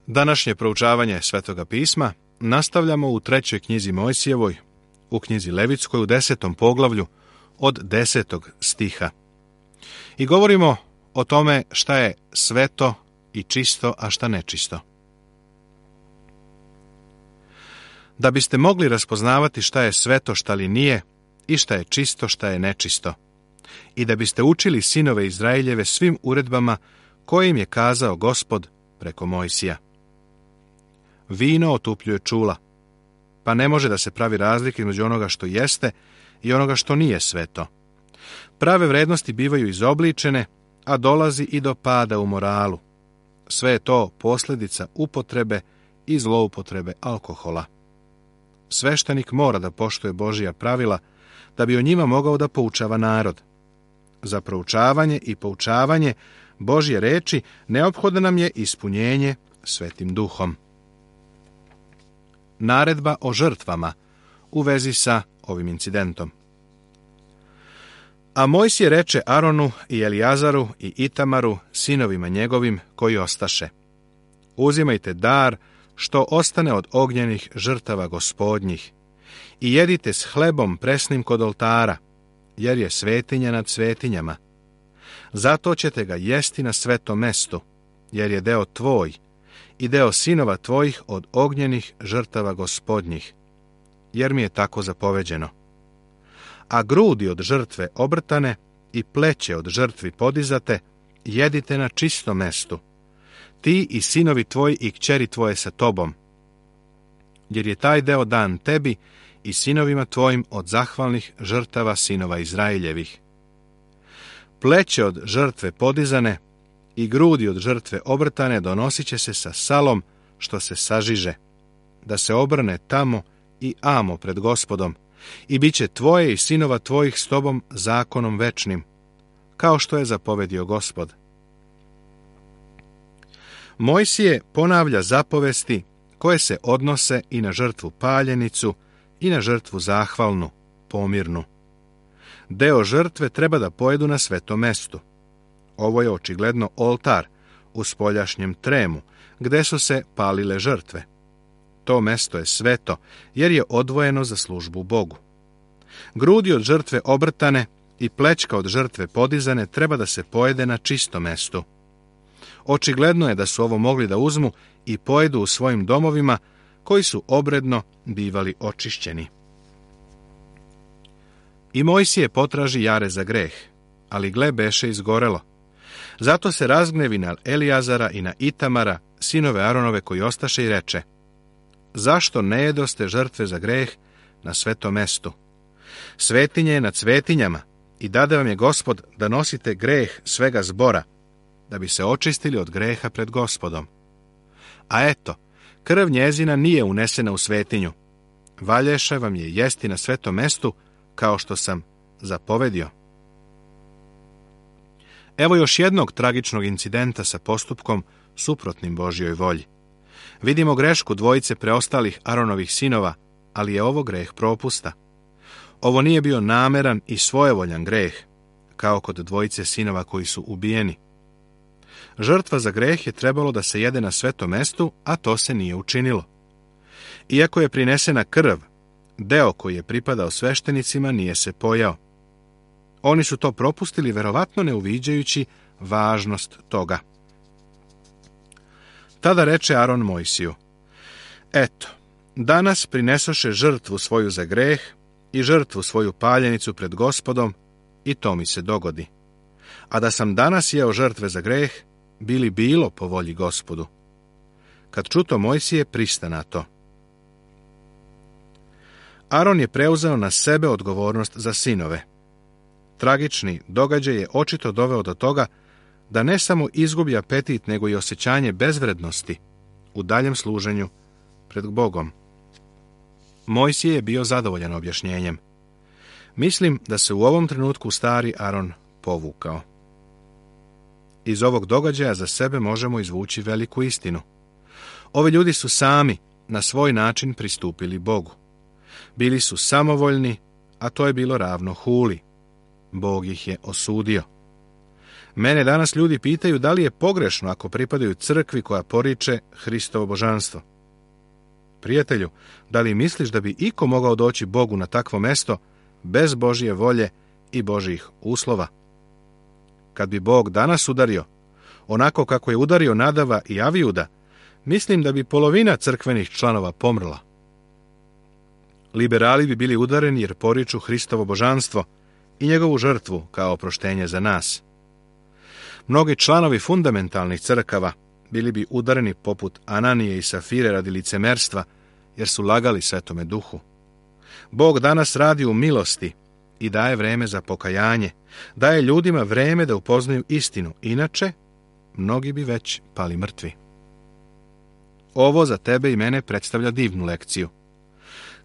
Današnje proučavanje Svetoga pisma nastavljamo u 3. knjizi Mojsijevoj, u knjizi Levitskoj u 10. poglavlju od 10. stiha. I govorimo o tome šta je sveto i čisto, a šta nečisto. Da biste mogli raspoznavati šta je sveto, šta li nije, i šta je čisto, šta je nečisto, i da biste učili sinove Izraeljeve svim uredbama kojim je kazao Gospod preko Mojsija. Vino otupljuje čula, pa ne može da se pravi razlika između onoga što jeste i onoga što nije sveto. Prave vrednosti bivaju izobličene, a dolazi i do pada u moralu. Sve je to posljedica upotrebe i zloupotrebe alkohola. Sveštenik mora da poštuje Božja pravila da bi o njima mogao da poučava narod. Za proučavanje i poučavanje Božje reči neophodno nam je ispunjenje Svetim Duhom. Naredba o žrtvama u vezi sa ovim incidentom. A Mojsije reče Aronu i Elijazaru i Itamaru, sinovima njegovim koji ostaše: uzimajte dar što ostane od ognjenih žrtava gospodnjih i jedite s hlebom presnim kod oltara, jer je svetinja nad svetinjama. Zato ćete ga jesti na svetom mestu, jer je deo tvoj i deo sinova tvojih od ognjenih žrtava gospodnjih, jer mi je tako zapoveđeno. A grudi od žrtve obrtane i pleće od žrtvi podizate jedite na čistom mestu, ti i sinovi tvoji i kćeri tvoje sa tobom, jer je taj deo dan tebi i sinovima tvojim od zahvalnih žrtava sinova Izraeljevih. Pleće od žrtve podizane i grudi od žrtve obrtane donosit će se sa salom što se sažiže, da se obrne tamo i amo pred Gospodom, i bit će tvoje i sinova tvojih s tobom zakonom večnim, kao što je zapovedio Gospod. Mojsije ponavlja zapovesti koje se odnose i na žrtvu paljenicu i na žrtvu zahvalnu, pomirnu. Deo žrtve treba da pojedu na svetom mestu. Ovo je očigledno oltar u spoljašnjem tremu, gde su se palile žrtve. To mesto je sveto, jer je odvojeno za službu Bogu. Grudi od žrtve obrtane i plećka od žrtve podizane treba da se pojede na čistom mestu. Očigledno je da su ovo mogli da uzmu i pojedu u svojim domovima, koji su obredno bivali očišćeni. I Mojsije potraži jare za greh, ali gle beše izgorelo. Zato se razgnevi naElijazara i na Itamara, sinove Aronove koji ostaše, i reče: zašto ne jedoste žrtve za greh na svetom mestu? Svetinje je nad svetinjama i dade vam je Gospod da nosite greh svega zbora, da bi se očistili od greha pred Gospodom. A eto, krv njezina nije unesena u svetinju. Valješe vam je jesti na svetom mestu, kao što sam zapovedio. Evo još jednog tragičnog incidenta sa postupkom suprotnim Božjoj volji. Vidimo grešku dvojice preostalih Aronovih sinova, ali je ovo greh propusta. Ovo nije bio nameran i svojevoljan greh, kao kod dvojice sinova koji su ubijeni. Žrtva za greh je trebalo da se jede na svetom mestu, a to se nije učinilo. Iako je prinesena krv, deo koji je pripadao sveštenicima nije se pojao. Oni su to propustili, verovatno ne uviđajući važnost toga. Tada reče Aron Mojsiju: eto, danas prinesoše žrtvu svoju za greh i žrtvu svoju paljenicu pred Gospodom, i to mi se dogodi. A da sam danas jeo žrtve za greh, bili bilo po volji Gospodu. Kad čuto Mojsije, prista na to. Aron je preuzeo na sebe odgovornost za sinove. Tragični događaj je očito doveo do toga da ne samo izgubi apetit, nego i osjećanje bezvrednosti u daljem služenju pred Bogom. Mojsije je bio zadovoljan objašnjenjem. Mislim da se u ovom trenutku stari Aron povukao. Iz ovog događaja za sebe možemo izvući veliku istinu. Ovi ljudi su sami na svoj način pristupili Bogu. Bili su samovoljni, a to je bilo ravno huli. Bog ih je osudio. Mene danas ljudi pitaju da li je pogrešno ako pripadaju crkvi koja poriče Hristovo božanstvo. Prijatelju, da li misliš da bi iko mogao doći Bogu na takvo mesto bez Božje volje i Božjih uslova? Kad bi Bog danas udario, onako kako je udario Nadava i Avijuda, mislim da bi polovina crkvenih članova pomrla. Liberali bi bili udareni jer poriču Hristovo božanstvo i njegovu žrtvu kao oproštenje za nas. Mnogi članovi fundamentalnih crkava bili bi udareni poput Ananije i Safire radi licemerstva, jer su lagali Svetome Duhu. Bog danas radi u milosti i daje vreme za pokajanje, daje ljudima vreme da upoznaju istinu, inače mnogi bi već pali mrtvi. Ovo za tebe i mene predstavlja divnu lekciju.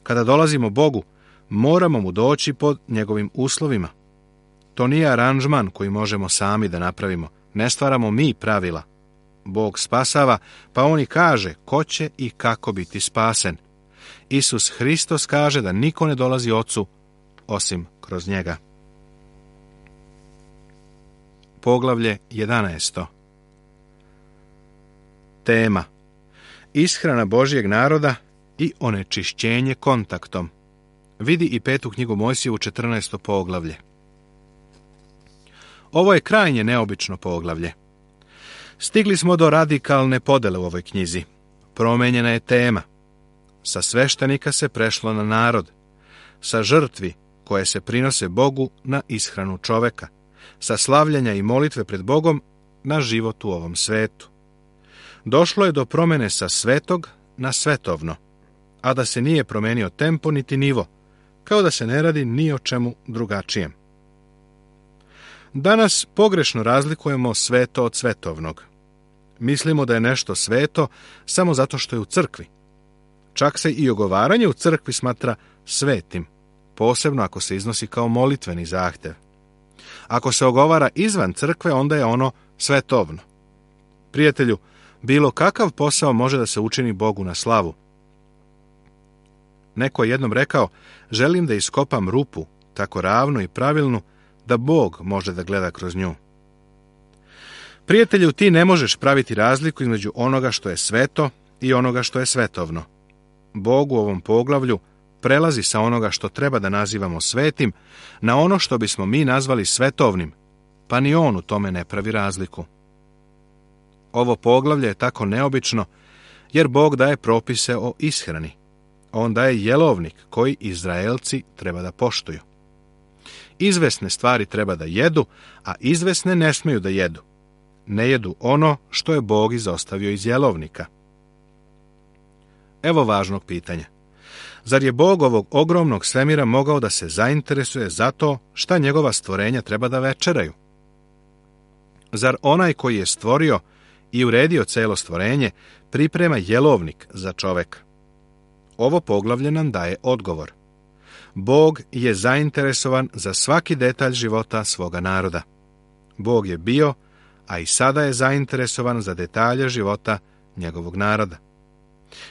Kada dolazimo Bogu, moramo mu doći pod njegovim uslovima. To nije aranžman koji možemo sami da napravimo. Ne stvaramo mi pravila. Bog spasava, pa on i kaže ko će i kako biti spasen. Isus Hristos kaže da niko ne dolazi Ocu osim kroz njega. Poglavlje 11. Tema: ishrana Božjeg naroda i onečišćenje kontaktom. Vidi i 5. knjigu Mojsijevu 14. poglavlje. Ovo je krajnje neobično poglavlje. Stigli smo do radikalne podele u ovoj knjizi. Promenjena je tema. Sa sveštenika se prešlo na narod. Sa žrtvi koje se prinose Bogu na ishranu čoveka. Sa slavljanja i molitve pred Bogom na život u ovom svetu. Došlo je do promene sa svetog na svetovno, a da se nije promenio tempo niti nivo, kao da se ne radi ni o čemu drugačijem. Danas pogrešno razlikujemo sveto od svetovnog. Mislimo da je nešto sveto samo zato što je u crkvi. Čak se i ogovaranje u crkvi smatra svetim, posebno ako se iznosi kao molitveni zahtev. Ako se ogovara izvan crkve, onda je ono svetovno. Prijatelju, bilo kakav posao može da se učini Bogu na slavu. Neko je jednom rekao, želim da iskopam rupu, tako ravnu i pravilnu, da Bog može da gleda kroz nju. Prijatelju, ti ne možeš praviti razliku između onoga što je sveto i onoga što je svetovno. Bog u ovom poglavlju prelazi sa onoga što treba da nazivamo svetim na ono što bismo mi nazvali svetovnim, pa ni on u tome ne pravi razliku. Ovo poglavlje je tako neobično jer Bog daje propise o ishrani. On daje jelovnik koji Izraelci treba da poštuju. Izvesne stvari treba da jedu, a izvesne ne smeju da jedu. Ne jedu ono što je Bog izostavio iz jelovnika. Evo važnog pitanja. Zar je Bog ovog ogromnog svemira mogao da se zainteresuje za to šta njegova stvorenja treba da večeraju? Zar onaj koji je stvorio i uredio celo stvorenje priprema jelovnik za čoveka? Ovo poglavlje nam daje odgovor. Bog je zainteresovan za svaki detalj života svoga naroda. Bog je bio, a i sada je zainteresovan za detalje života njegovog naroda.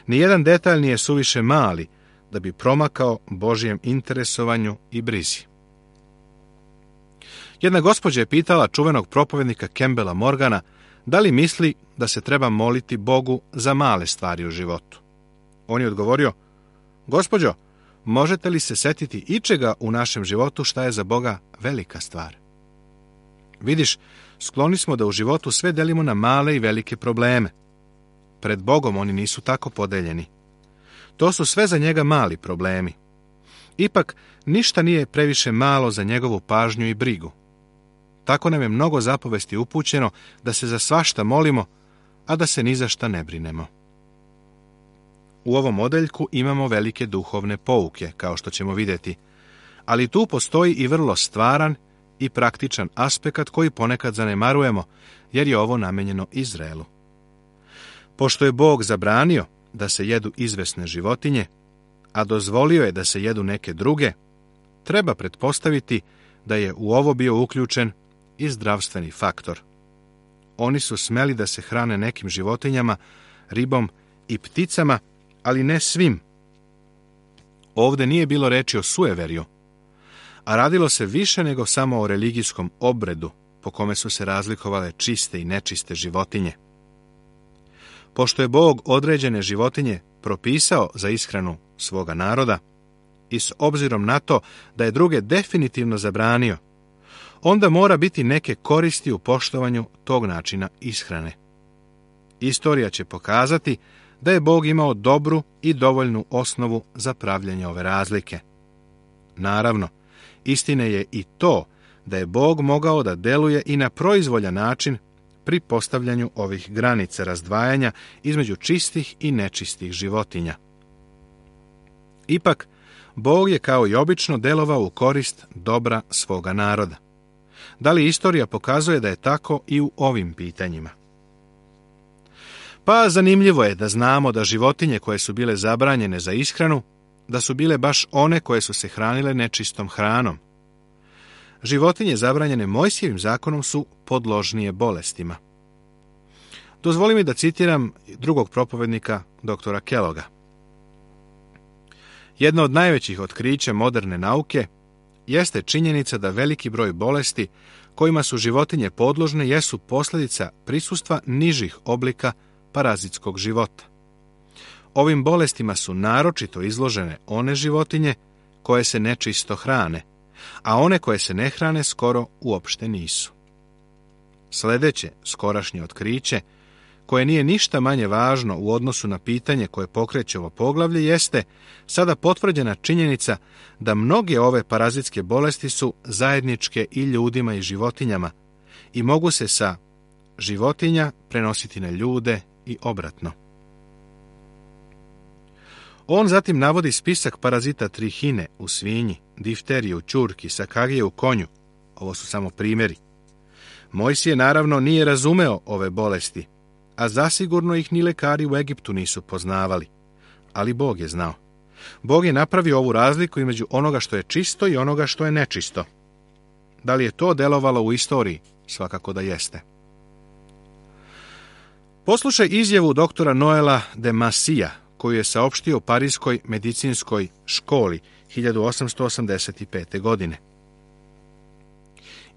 Nijedan detalj nije suviše mali da bi promakao Božjem interesovanju i brizi. Jedna gospođa je pitala čuvenog propovednika Campbella Morgana da li misli da se treba moliti Bogu za male stvari u životu. On je odgovorio, gospođo, možete li se setiti ičega u našem životu šta je za Boga velika stvar? Vidiš, skloni smo da u životu sve delimo na male i velike probleme. Pred Bogom oni nisu tako podeljeni. To su sve za njega mali problemi. Ipak, ništa nije previše malo za njegovu pažnju i brigu. Tako nam je mnogo zapovesti upućeno da se za svašta molimo, a da se ni za šta ne brinemo. U ovom odeljku imamo velike duhovne pouke, kao što ćemo vidjeti, ali tu postoji i vrlo stvaran i praktičan aspekt koji ponekad zanemarujemo, jer je ovo namenjeno Izraelu. Pošto je Bog zabranio da se jedu izvesne životinje, a dozvolio je da se jedu neke druge, treba pretpostaviti da je u ovo bio uključen i zdravstveni faktor. Oni su smeli da se hrane nekim životinjama, ribom i pticama, ali ne svim. Ovde nije bilo reči o sueverju, a radilo se više nego samo o religijskom obredu, po kome su se razlikovale čiste i nečiste životinje. Pošto je Bog određene životinje propisao za ishranu svoga naroda i s obzirom na to da je druge definitivno zabranio, onda mora biti neke koristi u poštovanju tog načina ishrane. Istorija će pokazati da je Bog imao dobru i dovoljnu osnovu za pravljenje ove razlike. Naravno, istina je i to da je Bog mogao da deluje i na proizvoljan način pri postavljanju ovih granica razdvajanja između čistih i nečistih životinja. Ipak, Bog je kao i obično delovao u korist dobra svoga naroda. Da li istorija pokazuje da je tako i u ovim pitanjima? Pa zanimljivo je da znamo da životinje koje su bile zabranjene za ishranu, da su bile baš one koje su se hranile nečistom hranom. Životinje zabranjene Mojsijevim zakonom su podložnije bolestima. Dozvoli mi da citiram drugog propovednika, doktora Kelloga. Jedno od najvećih otkrića moderne nauke jeste činjenica da veliki broj bolesti kojima su životinje podložne jesu posljedica prisustva nižih oblika parazitskog života. Ovim bolestima su naročito izložene one životinje koje se nečisto hrane, a one koje se ne hrane skoro uopšte nisu. Sljedeće skorašnje otkriće, koje nije ništa manje važno u odnosu na pitanje koje pokreće ovo poglavlje, jeste sada potvrđena činjenica da mnoge ove parazitske bolesti su zajedničke i ljudima i životinjama i mogu se sa životinja prenositi na ljude i obratno. On zatim navodi spisak parazita trihine u svinji, difterije u ćurki, sakagije u konju. Ovo su samo primjeri. Mojsije naravno nije razumeo ove bolesti, a zasigurno ih ni lekari u Egiptu nisu poznavali. Ali Bog je znao. Bog je napravio ovu razliku između onoga što je čisto i onoga što je nečisto. Da li je to delovalo u istoriji? Svakako da jeste. Poslušaj izjavu doktora Noela de Massija, koju je saopštio u Parijskoj medicinskoj školi 1885. godine.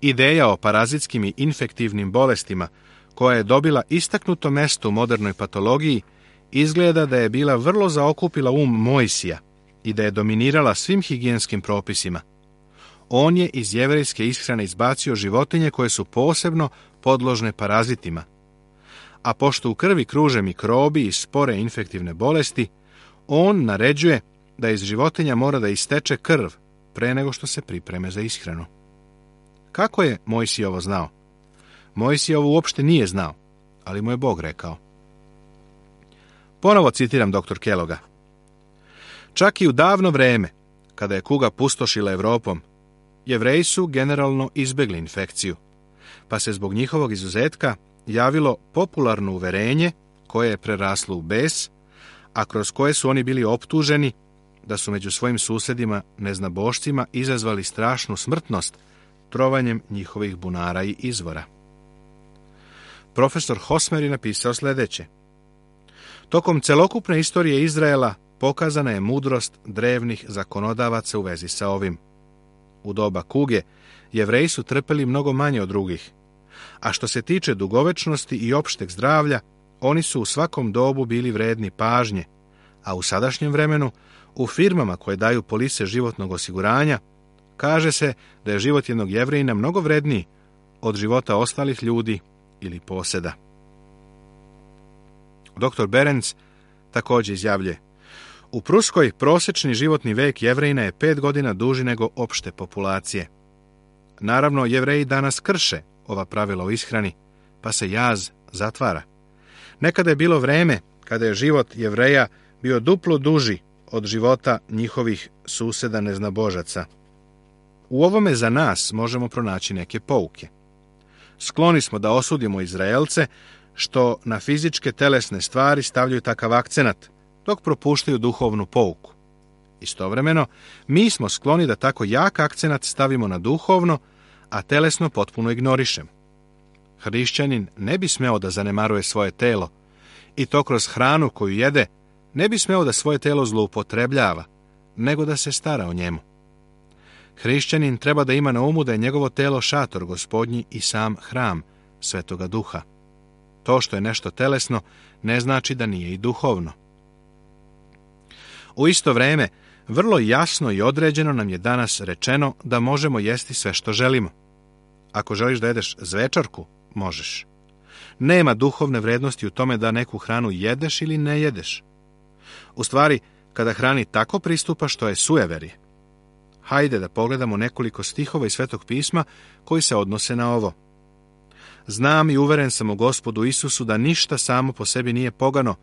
Ideja o parazitskim i infektivnim bolestima, koja je dobila istaknuto mesto u modernoj patologiji, izgleda da je bila vrlo zaokupila Mojsija i da je dominirala svim higijenskim propisima. On je iz jevrejske ishrane izbacio životinje koje su posebno podložne parazitima, a pošto u krvi kruže mikrobi i spore infektivne bolesti, on naređuje da iz životinja mora da isteče krv pre nego što se pripreme za ishranu. Kako je Mojsije ovo znao? Mojsije ovo uopšte nije znao, ali mu je Bog rekao. Ponovo citiram dr. Kelloga. Čak i u davno vreme, kada je kuga pustošila Evropom, Jevreji su generalno izbjegli infekciju, pa se zbog njihovog izuzetka javilo popularno uverenje koje je preraslo u bes, a kroz koje su oni bili optuženi da su među svojim susjedima neznabošcima izazvali strašnu smrtnost trovanjem njihovih bunara i izvora. Profesor Hosmer je napisao sljedeće. Tokom celokupne istorije Izraela pokazana je mudrost drevnih zakonodavaca u vezi sa ovim. U doba kuge Jevreji su trpeli mnogo manje od drugih, a što se tiče dugovečnosti i opšteg zdravlja, oni su u svakom dobu bili vredni pažnje, a u sadašnjem vremenu, u firmama koje daju polise životnog osiguranja, kaže se da je život jednog Jevrejina mnogo vredniji od života ostalih ljudi ili poseda. Dr. Berenc također izjavljuje: u Pruskoj prosječni životni vek Jevrejina je 5 godina duži nego opšte populacije. Naravno, Jevreji danas krše ova pravila o ishrani, pa se jaz zatvara. Nekada je bilo vreme kada je život Jevreja bio duplo duži od života njihovih suseda neznabožaca. U ovome za nas možemo pronaći neke pouke. Skloni smo da osudimo Izraelce što na fizičke telesne stvari stavljaju takav akcenat, dok propuštaju duhovnu pouku. Istovremeno, mi smo skloni da tako jak akcenat stavimo na duhovno, a telesno potpuno ignorišemo. Hrišćanin ne bi smeo da zanemaruje svoje telo, i to kroz hranu koju jede, ne bi smeo da svoje telo zloupotrebljava, nego da se stara o njemu. Hrišćanin treba da ima na umu da je njegovo telo šator Gospodnji i sam hram Svetoga Duha. To što je nešto telesno ne znači da nije i duhovno. U isto vreme, vrlo jasno i određeno nam je danas rečeno da možemo jesti sve što želimo. Ako želiš da jedeš zvečarku, možeš. Nema duhovne vrednosti u tome da neku hranu jedeš ili ne jedeš. U stvari, kada hrani tako pristupaš, to je sujeverje. Hajde da pogledamo nekoliko stihova iz Svetog pisma koji se odnose na ovo. Znam i uveren sam u Gospodu Isusu da ništa samo po sebi nije pogano,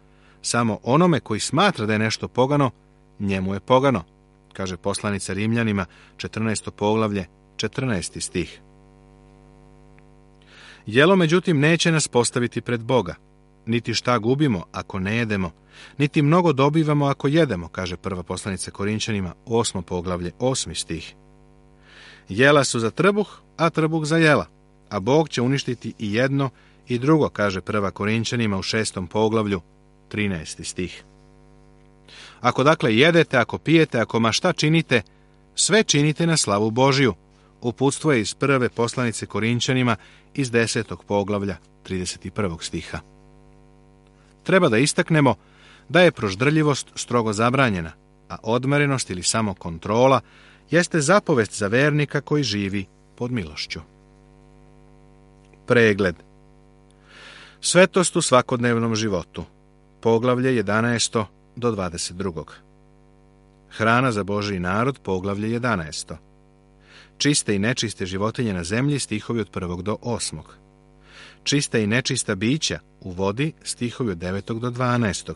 samo onome koji smatra da je nešto pogano, njemu je pogano, kaže poslanica Rimljanima, 14. poglavlje, 14. stih. Jelo, međutim, neće nas postaviti pred Boga. Niti šta gubimo ako ne jedemo, niti mnogo dobivamo ako jedemo, kaže prva poslanica Korinćanima, 8. poglavlje, 8. stih. Jela su za trbuh, a trbuh za jela, a Bog će uništiti i jedno i drugo, kaže prva Korinćanima u 6. poglavlju, 13. stih. Ako dakle jedete, ako pijete, ako ma šta činite, sve činite na slavu Božiju. Uputstvo je iz prve poslanice Korinćanima iz 10. poglavlja, 31. stiha. Treba da istaknemo da je proždrljivost strogo zabranjena, a odmerenost ili samo kontrola jeste zapovest za vernika koji živi pod milošću. Pregled. Svetost u svakodnevnom životu. Poglavlje 11. do 22. Hrana za Božji narod, poglavlje 11. Čiste i nečiste životinje na zemlji, stihovi od 1. do 8. Čista i nečista bića u vodi, stihovi od 9. do 12.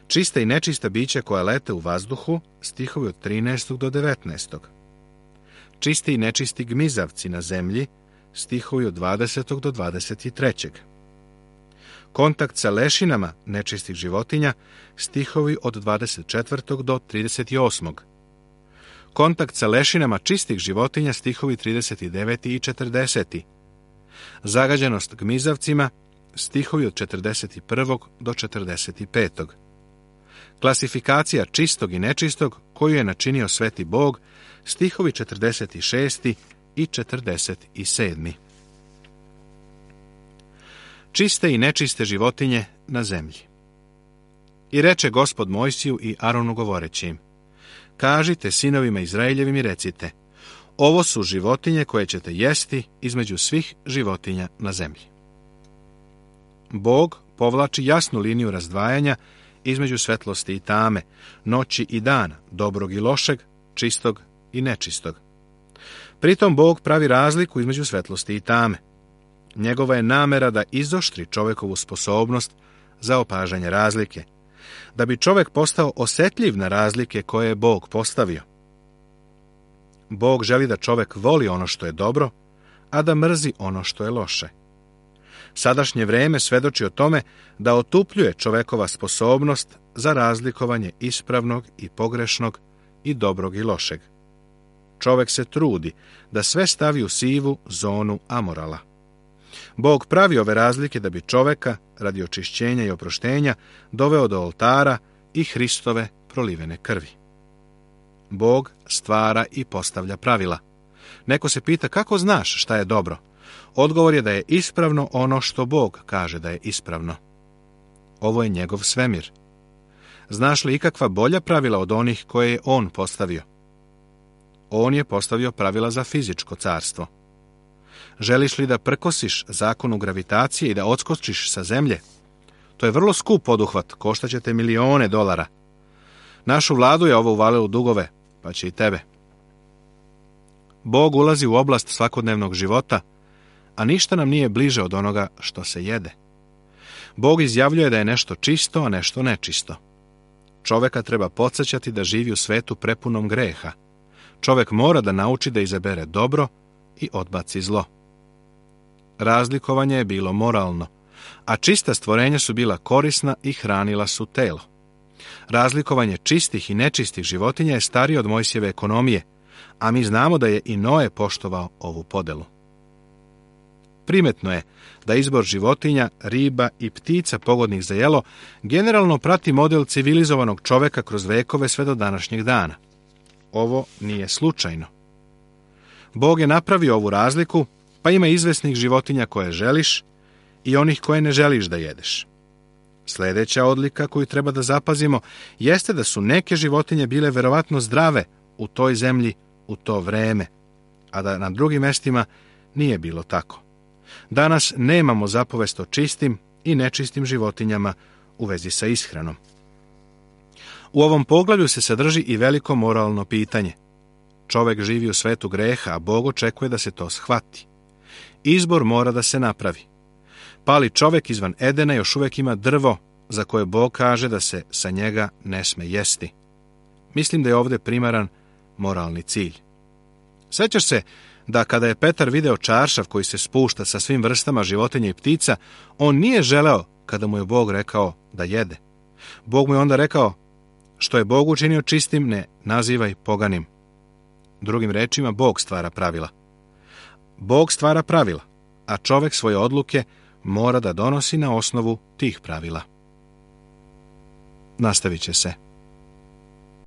Čista i nečista bića koja lete u vazduhu, stihovi od 13. do 19. Čisti i nečisti gmizavci na zemlji, stihovi od 20. do 23. Kontakt sa lešinama nečistih životinja, stihovi od 24. do 38. Kontakt sa lešinama čistih životinja, stihovi 39. i 40. Zagađenost gmizavcima, stihovi od 41. do 45. Klasifikacija čistog i nečistog koju je načinio Sveti Bog, stihovi 46. i 47. Čiste i nečiste životinje na zemlji. I reče Gospod Mojsiju i Aronu govoreći im: kažite sinovima Izraeljevim i recite: ovo su životinje koje ćete jesti između svih životinja na zemlji. Bog povlači jasnu liniju razdvajanja između svetlosti i tame, noći i dana, dobrog i lošeg, čistog i nečistog. Pritom Bog pravi razliku između svetlosti i tame. Njegova je namera da izoštri čovekovu sposobnost za opažanje razlike, da bi čovek postao osjetljiv na razlike koje je Bog postavio. Bog želi da čovek voli ono što je dobro, a da mrzi ono što je loše. Sadašnje vreme svedoči o tome da otupljuje čovekova sposobnost za razlikovanje ispravnog i pogrešnog i dobrog i lošeg. Čovek se trudi da sve stavi u sivu zonu amorala. Bog pravi ove razlike da bi čoveka, radi očišćenja i oproštenja, doveo do oltara i Hristove prolivene krvi. Bog stvara i postavlja pravila. Neko se pita: kako znaš šta je dobro? Odgovor je da je ispravno ono što Bog kaže da je ispravno. Ovo je njegov svemir. Znaš li ikakva bolja pravila od onih koje je on postavio? On je postavio pravila za fizičko carstvo. Želiš li da prkosiš zakonu gravitacije i da odskočiš sa zemlje? To je vrlo skup poduhvat, koštaće te milione dolara. Našu vladu je ovo uvalilo u dugove, pa će i tebe. Bog ulazi u oblast svakodnevnog života, a ništa nam nije bliže od onoga što se jede. Bog izjavljuje da je nešto čisto, a nešto nečisto. Čoveka treba podsjećati da živi u svetu prepunom greha. Čovek mora da nauči da izabere dobro i odbaci zlo. Razlikovanje je bilo moralno, a čista stvorenja su bila korisna i hranila su telo. Razlikovanje čistih i nečistih životinja je starije od Mojsijeve ekonomije, a mi znamo da je i Noe poštovao ovu podelu. Primetno je da izbor životinja, riba i ptica pogodnih za jelo generalno prati model civilizovanog čoveka kroz vekove sve do današnjeg dana. Ovo nije slučajno. Bog je napravio ovu razliku, pa ima izvesnih životinja koje želiš i onih koje ne želiš da jedeš. Sljedeća odlika koju treba da zapazimo jeste da su neke životinje bile verovatno zdrave u toj zemlji u to vreme, a da na drugim mestima nije bilo tako. Danas nemamo zapovest o čistim i nečistim životinjama u vezi sa ishranom. U ovom poglavlju se sadrži i veliko moralno pitanje. Čovek živi u svetu greha, a Bog očekuje da se to shvati. Izbor mora da se napravi. Pali čovek izvan Edena još uvijek ima drvo za koje Bog kaže da se sa njega ne sme jesti. Mislim da je ovdje primaran moralni cilj. Sećaš se da kada je Petar video čaršav koji se spušta sa svim vrstama životinja i ptica, on nije želeo kada mu je Bog rekao da jede. Bog mu je onda rekao, što je Bog učinio čistim, ne nazivaj poganim. Drugim rečima, Bog stvara pravila. Bog stvara pravila, a čovek svoje odluke mora da donosi na osnovu tih pravila. Nastavit će se.